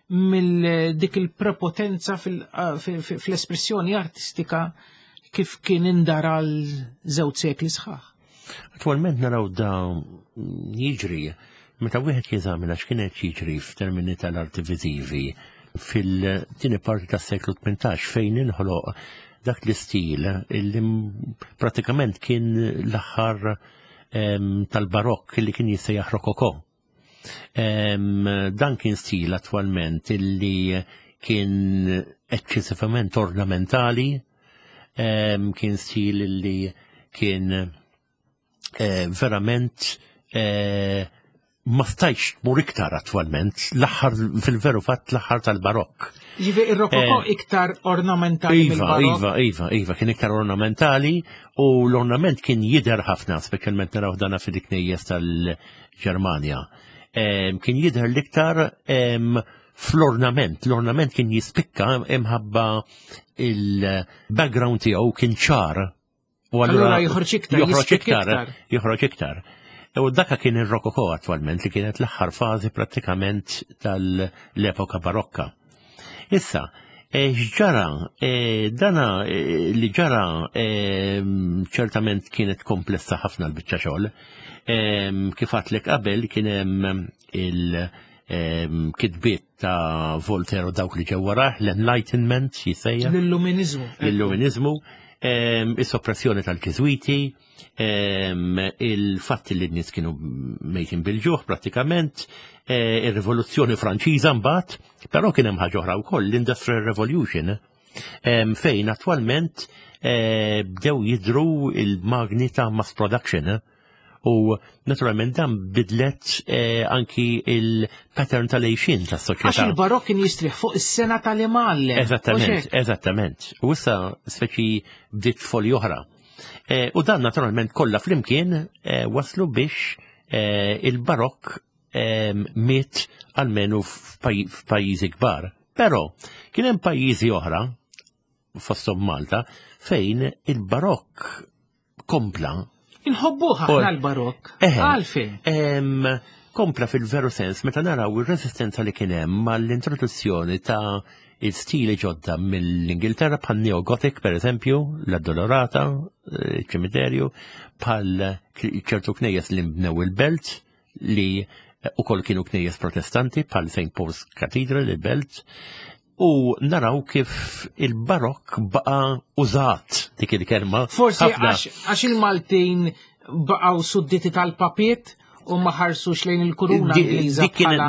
mill dik il-prepotenza fl-espressjoni artistika kif kien indar għal żewġ sekli sħaħ? Attualment naraw da jiġri meta wieħed jeżamina x'kien qed jiġri f'termini tal-arti viżivi fil-tieni parti tas-seklu 18 fejn inħoloq dak l-istil li pratikament kien l-aħħar tal-barokk li kien jissejjaħ rokoko. Dan kien stil attwalment illi kien eċċessivament ornamentali, kien stil li kien eh, verament eh, ma stajx tmur iktar attwalment, l-aħħar fil-veru fatt l-aħħar tal-barokk. Ġifi ir-rokoko eh, iktar ornamentali Iva, iva, iva, iva, kien iktar ornamentali u l-ornament kien jidher ħafna, speċjalment naraw dana fil-knejjes tal-Ġermanja. Kien jidher l-iktar fl-ornament, l-ornament kien jispikka imħabba il-background tiegħu kien ċar. U allura joħroġ iktar, joħroġ iktar, joħroġ iktar. U daka kien ir-rokoko attwalment li kienet l-aħħar fażi prattikament tal-epoka barokka. Issa, e, x'ġara, e, dana e, li ġara ċertament kienet komplessa ħafna l-biċċa xogħol. Kif għatlek qabel kien hemm il- kitbiet ta' Voltaire u dawk li ġew warah, l-Enlightenment jisejja. L-Illuminizmu. L-Illuminizmu, is-soppressjoni tal-Ġiżwiti, il-fatt li n-nies kienu mejtin bil-ġuħ prattikament, e, ir-Rivoluzzjoni Franċiża mbagħad, però kien hemm ħaġa oħra wkoll, l-Industrial Revolution, fejn attwalment e, bdew jidru il-magni ta' mass production U naturalment dan bidlet eh, anki il-pattern tal-għejxin tas-soċjetà. Għax il-barokk kien jistrieħ fuq is-sena tal-imgħallem. Eżattament, eżattament. U issa speċi bdiet folji oħra. Eh, u dan naturalment kollha flimkien eh, waslu biex il-barokk miet almenu f'pajjiżi kbar. Però kien hemm pajjiżi oħra fosthom Malta fejn il-barokk kompla. Inħobbuh aħna l-barokk. Għalfejn. Kompla fil-veru sens meta naraw ir-resistenza li kien hemm mal-introduzzjoni ta' il-stili ġodda mill-Ingilterra bħal Neo-Gothic per eżempju, l-Addolorata, eh, ċimiterju, bħal ċertu knejjes li mbnew il-belt li ukoll kienu knejjes protestanti bħal St. Paul's Cathedral il-belt, u naraw kif il-barokk baqa użat dik il-kelma. Forsi għax il-Maltin baqgħu sudditi tal-papiet u ma ħarsux lejn il-kuruna Ingliża.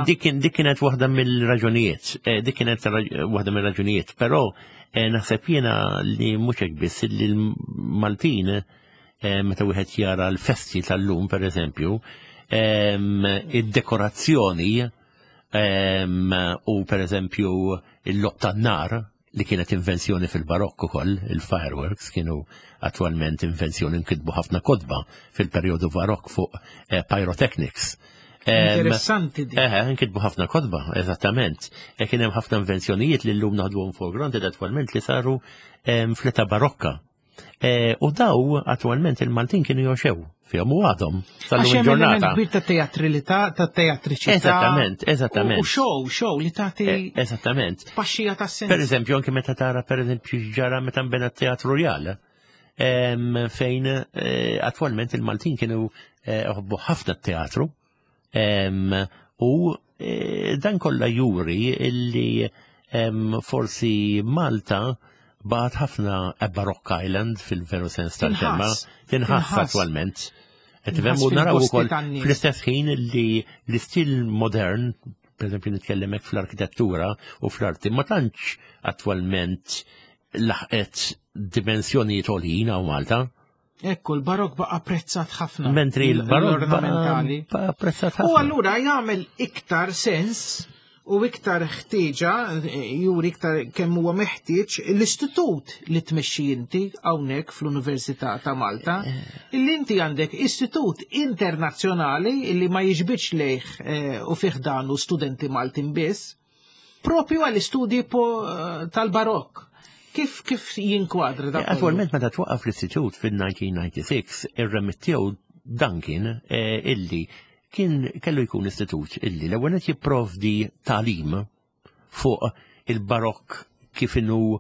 Dik kienet waħda mill-raġunijiet, eh, dik kienet waħda mill-raġunijiet, però eh, naħseb jiena li mhux hekk biss li l-Maltin eh, meta wieħed jara l-festi tal-lum pereżempju, ehm, id-dekorazzjoni U per eżempju il-lob tan-nar li kienet invenzjoni fil-barokk ukoll, il-fireworks kienu attwalment invenzjoni nkitbu ħafna kotba fil-perjodu barokk fuq eh, pyrotechnics. Interessanti di. Eh, nkitbu ħafna kotba, eżattament. E kien hemm ħafna invenzjonijiet li llum naħduhom for granted attwalment li saru fl-età barokka. E, u daw attualment il-Maltin kienu joxew fihom u għadhom sal-lum il-ġurnata. Kbir ta' teatrilità, ta' teatriċità. Eżattament, eżattament. U show, show li tagħti. E, eżattament. Paxxija ta' sens. Per eżempju, anke meta tara per eżempju ġara meta nbena t-teatru Rjal, fejn e, attualment il-Maltin kienu ħobbu ħafna t-teatru U e, dan kollha juri illi forsi Malta bagħat ħafna a Baroque Island fil-veru sens tal-kelma, tinħass attwalment. Qed tifhem u naraw ukoll fl-istess ħin li l-istil modern, per eżempju nitkellem hekk fl-arkitettura u fl-arti, ma tantx attwalment laħqet dimensjonijiet għoljin hawn Malta. Ekku, l-barok baqa apprezzat ħafna. Mentri l-barok baqa apprezzat ħafna. U allura jagħmel iktar sens u iktar ħtieġa, juri iktar kemm huwa meħtieġ l-istitut li tmexxi inti hawnhekk fl-Università ta' Malta, eh. illi inti għandek istitut internazzjonali illi ma jiġbidx lejh eh, u fih danu studenti Maltin biss, propju għall-istudji eh, tal-barokk. Kif kif jinkwadra dak? Attualment meta twaqqaf l-istitut fil-1996, ir-remit tiegħu dan kien eh, illi kien kellu jkun istitut illi l-ewwel qed jipprovdi tagħlim fuq il-barokk kif inhu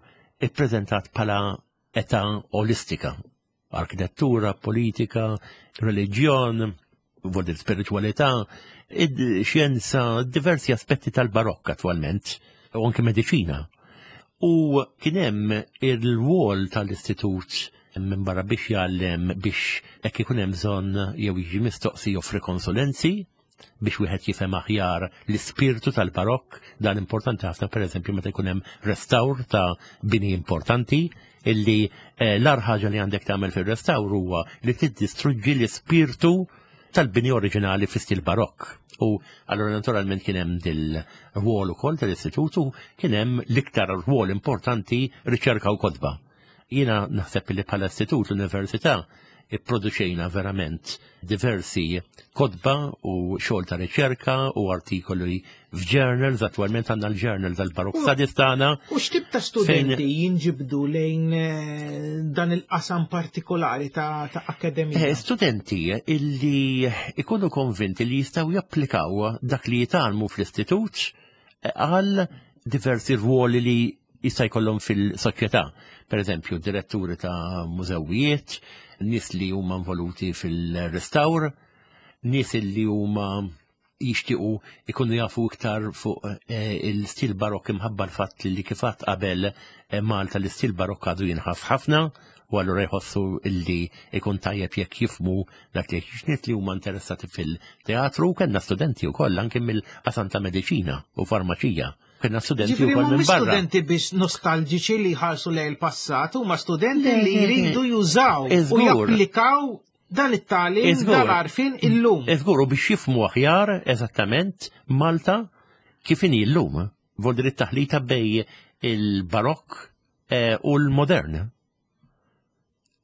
ippreżentat bħala età olistika arkitettura, politika, reliġjon, vuol spiritualità, xjenza, diversi aspetti tal-barokk attualment, u anke mediċina. U kien hemm il-wol tal-istitut minn barra biex jgħallem biex hekk ikun hemm bżonn jew jiġi mistoqsi joffri konsulenzi. biex wieħed jifhem aħjar l-ispirtu tal-barokk, dan importanti ħafna pereżempju meta jkun hemm restawr ta' bini importanti illi eh, l-ar ħaġa li għandek tagħmel fir-restawr huwa li tiddistruġġi l-ispirtu tal-bini oriġinali fi stil barokk. U allura naturalment kien hemm dil-rwol ukoll tal-istitutu kien hemm l-iktar rwol importanti riċerka u kotba. Jiena naħseb li bħala istitut l-università ipproduċejna verament diversi kotba u xogħol ta' riċerka u artikoli f'journals, attwalment għandna l-journal tal-Barok Studies tagħna. U x'tip ta' studenti jinġibdu lejn eh, dan il-qasam partikolari ta', ta akademija? Eh, studenti illi ikunu konvinti li jistgħu japplikaw dak li jitgħallmu fl-istitut eh, għal diversi rwoli li jista' jkollhom fil-soċjetà. Per eżempju, diretturi ta' mużewijiet, nies li huma involuti fil-restawr, nies li huma jixtiequ ikunu jafu iktar fuq eh, il-stil barokk imħabba l-fatt li kifat qabel eh, Malta l-istil barokk għadu jinħass ħafna u allura jħossu illi ikun tajjeb jekk jifmu dak li xniet li huma interessati fil-teatru kellna studenti wkoll anke mill-qasam ta' mediċina u farmaċija. Kellna studenti wkoll minn barra. Studenti biex nostalġiċi li jħarsu lejn il-passat huma studenti li jridu jużaw u japplikaw dan it-tagħlim dan għarfien illum. Iżgur u biex jifmu aħjar eżattament Malta kif inhi llum. Voldri taħlita bej il-barokk eh, u l-modern.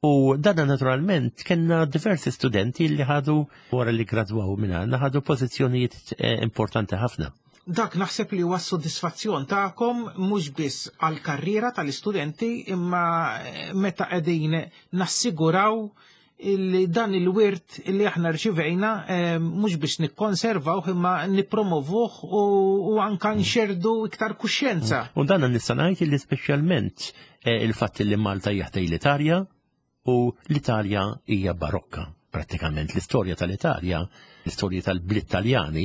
U dana naturalment kellna diversi studenti li ħadu wara li gradwaw minn għandna ħadu pożizzjonijiet eh, importanti ħafna. Dak naħseb li huwa s-sodisfazzjon tagħkom mhux biss għall-karriera tal-istudenti imma eh, meta qegħdin nassiguraw li dan il-wirt li aħna rċivejna eh, mhux biex nikkonservawh imma nippromovuh u, u anka nxerdu iktar kuxjenza. U dan nista' ngħid li speċjalment Eh, il-fatt li Malta hija ħdej l-Italja u l-Italja hija barokka. Prattikament l-istorja tal-Italja, l-istorja tal-bliet Taljani,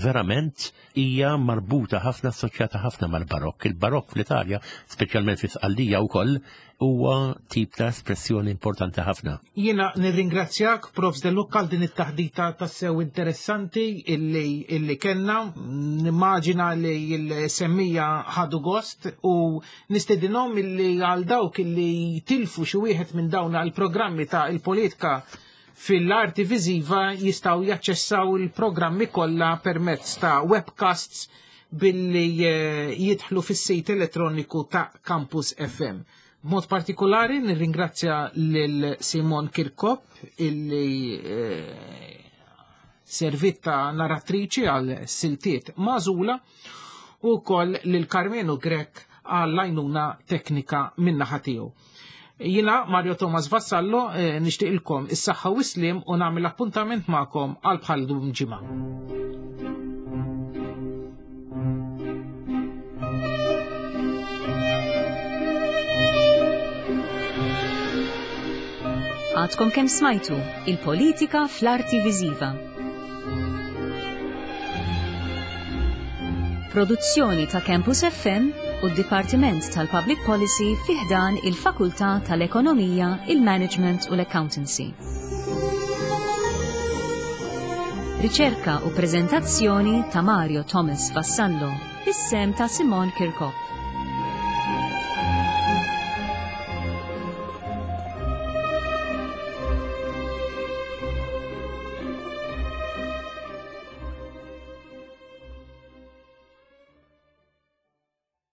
verament hija marbuta ħafna assoċjata ħafna mal-barokk. Il-barokk fl-Italja, speċjalment fi Sqallija wkoll, huwa tip ta' espressjoni importanti ħafna. Jiena nirringrazzjak Prof. De Lucca għal din it-taħdita tassew interessanti illi, illi kellna. Nimmaġina li l-semmija ħadu gost u Nistedinhom illi għal dawk illi tilfu xi wieħed minn dawn għall-programmi ta' il-politika fil-arti viżiva jistgħu jaċċessaw il-programmi kollha permezz ta' webcasts billi eh, jidħlu fis-sit elettroniku ta' Campus FM. B'mod partikolari nirringrazzja lil Simon Kirkop illi eh, servit ta' narratriċi għal siltiet mażula u wkoll lil Karmenu Grech għall-għajnuna teknika min-naħa tiegħu. Jina Mario Thomas Vassallo eh, nixtieqilkom is-saħħa u slim u nagħmel appuntament magħkom għal bħal dum ġimgħa. Għadkom kemm smajtu il-politika fl-arti viżiva. Produzzjoni ta' Campus FM u d-Dipartiment tal-Public Policy fi ħdan il-Fakultà tal-Ekonomija, il-Management u l-Accountancy. Riċerka u preżentazzjoni ta' Mario Thomas Vassallo, is-sem ta' Simon Kirkop.